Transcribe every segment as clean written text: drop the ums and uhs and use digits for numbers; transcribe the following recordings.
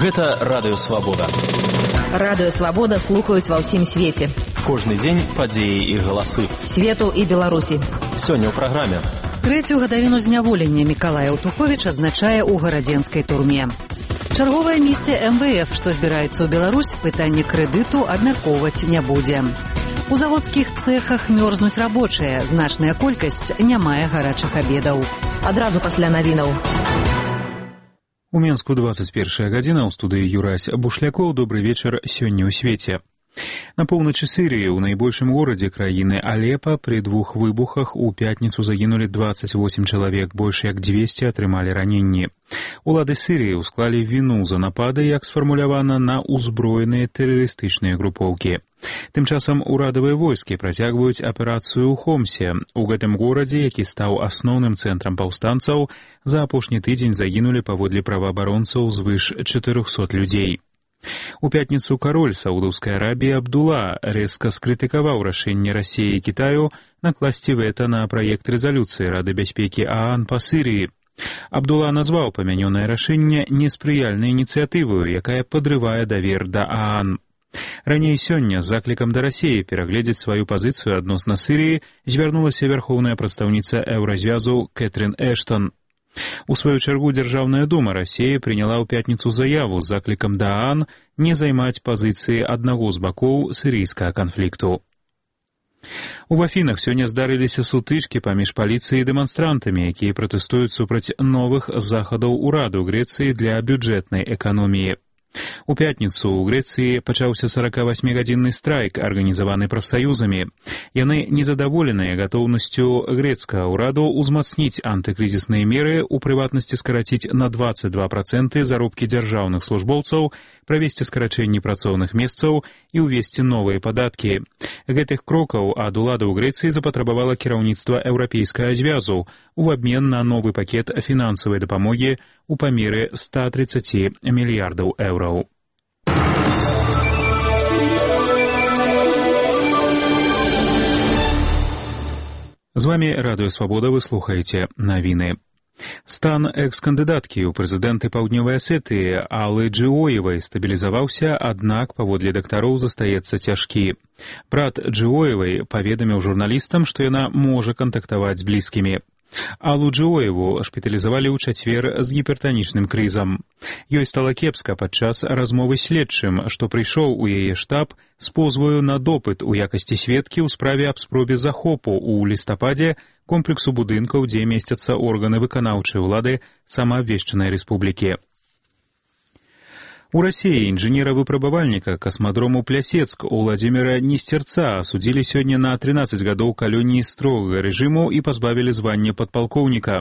Гэта Радыё Свабода. Радыё Свабода слухаюць ва ўсім свеце. Кожны дзень падзеі і галасы. Свету і Беларусі. Сёння ў праграме. Трэцюю гадавіну зняволення Мікалая Аўтуховіч адзначае ў гарадзенскай турме. Чарговая місія МВФ, што збіраецца ў Беларусь, пытанне крэдыту абмяркоўваць не будзе. У заводскіх цэхах мёрзнуць рабочыя, значная колькасць не мае гарачых абедаў. Адразу пасля навінаў. У Менску 21 гадзіна, ў студыі Юрась Бушлякоў. Добры вечар сёння ў свеце. На поўначы Сірыі, у найбольшым горадзе краіны Алепа, пры двух выбухах у пятніцу загінулі 28 чалавек, больш як 200 атрымалі раненні. Улады Сірыі ўсклалі віну за напады, як сфармулявана, на ўзброеныя тэрарыстычныя групоўкі. Тым часам урадавыя войскі працягваюць аперацыю ў Хомсе. У гэтым горадзе, які стаў асноўным цэнтрам паўстанцаў, за апошні тыдзень загінулі паводле праваабаронцаў звыш 400 людзей. У пятніцу кароль Саудаўскай Арабіі Абдула рэзка скрытыкаваў рашэнне Расіі і Кітаю накласці вэта на праект рэзалюцыі Рады бяспекі ААН па Сірыі. Абдула назваў памянёнае рашэнне неспрыяльнай ініцыятываю, якая падрывае давер да ААН. Раней сёння з заклікам да Расіі перагледзець сваю пазіцыю адносна Сірыі звярнулася вярхоўная прадстаўніца Еўразвязу Кэтрин Эштон. У сваю чаргу Дзяржаўная дума Расіі прыняла ў пятніцу заяву з заклікам да ААН не займаць пазіцыі аднаго з бакоў сірыйскага канфлікту. У Афінах сёння здарыліся сутычкі паміж паліцыяй і дэманстрантамі, якія пратэстуюць супраць новых захадаў ураду Грэцыі для бюджэтнай эканоміі. У пятніцу ў Грэцыі пачаўся 48-гадзінны страйк, арганізаваны прафсаюзамі. Яны незадаволеныя гатоўнасцю грэцкага ўраду ўзмацніць антыкрызісныя меры, у прыватнасці скараціць на 22% заробкі дзяржаўных службоўцаў, правесці скарачэнні працоўных месцаў і ўвесці новыя падаткі. Гэтых крокаў ад уладаў Грэцыі запатрабавала кіраўніцтва Еўрапейскага звязу у абмен на новы пакет фінансавай дапамогі у памеры 130 мільярдаў еўраў. З вамі Радыё Свабода, вы слухаеце навіны. Стан экс-кандыдаткі ў прэзідэнты Паўднёвай Асетыі Аллы Джиоевай стабілізаваўся, аднак паводле дактароў застаецца цяжкі. Брат Джиоевай паведаміў журналістам, што яна можа кантактаваць з блізкімі. Аллу Джиоеву шпіталізавалі ў чацвер з гіпертанічным крызам. Ёй стала кепска падчас размовы следчым, што прыйшоў у яе штаб з позваю на допыт у якасці сведкі ў справе аб спробе захопу ў лістападзе комплексу будынкаў, дзе месцяцца органы выканаўчай улады самаабвешчанай рэспублікі. У Расіі інжынера-выпрабавальніка касмадрому Плясецк Уладзіміра Несцерца асудзілі сёння на 13 гадоў калоніі строгага рэжыму і пазбавілі звання падпалкоўніка.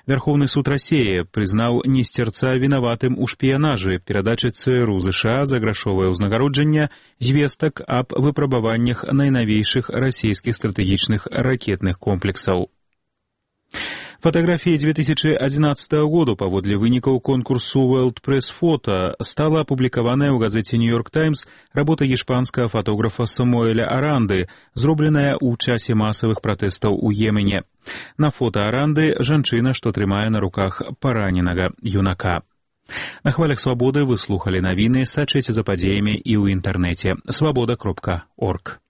Вярхоўны суд Расіі прызнаў Несцерца вінаватым у шпіянажы, перадачы ЦРУ ЗША за грашовае ўзнагароджанне звестак аб выпрабаваннях найнавейшых расійскіх стратэгічных ракетных комплексаў. Фатаграфіяй 2011 году паводле вынікаў конкурсу World Press Photo стала апублікаваная ў газеце New York Times работа іспанскага фотографа Самуэля Аранды, зробленая ў часе масавых пратэстаў у Йемене. На фота Аранды жанчына, што трымае на руках параненага юнака. На хвалях Свабоды вы слухалі навіны, сачыце за падзеямі і ў інтэрнэце. Свабода.орг.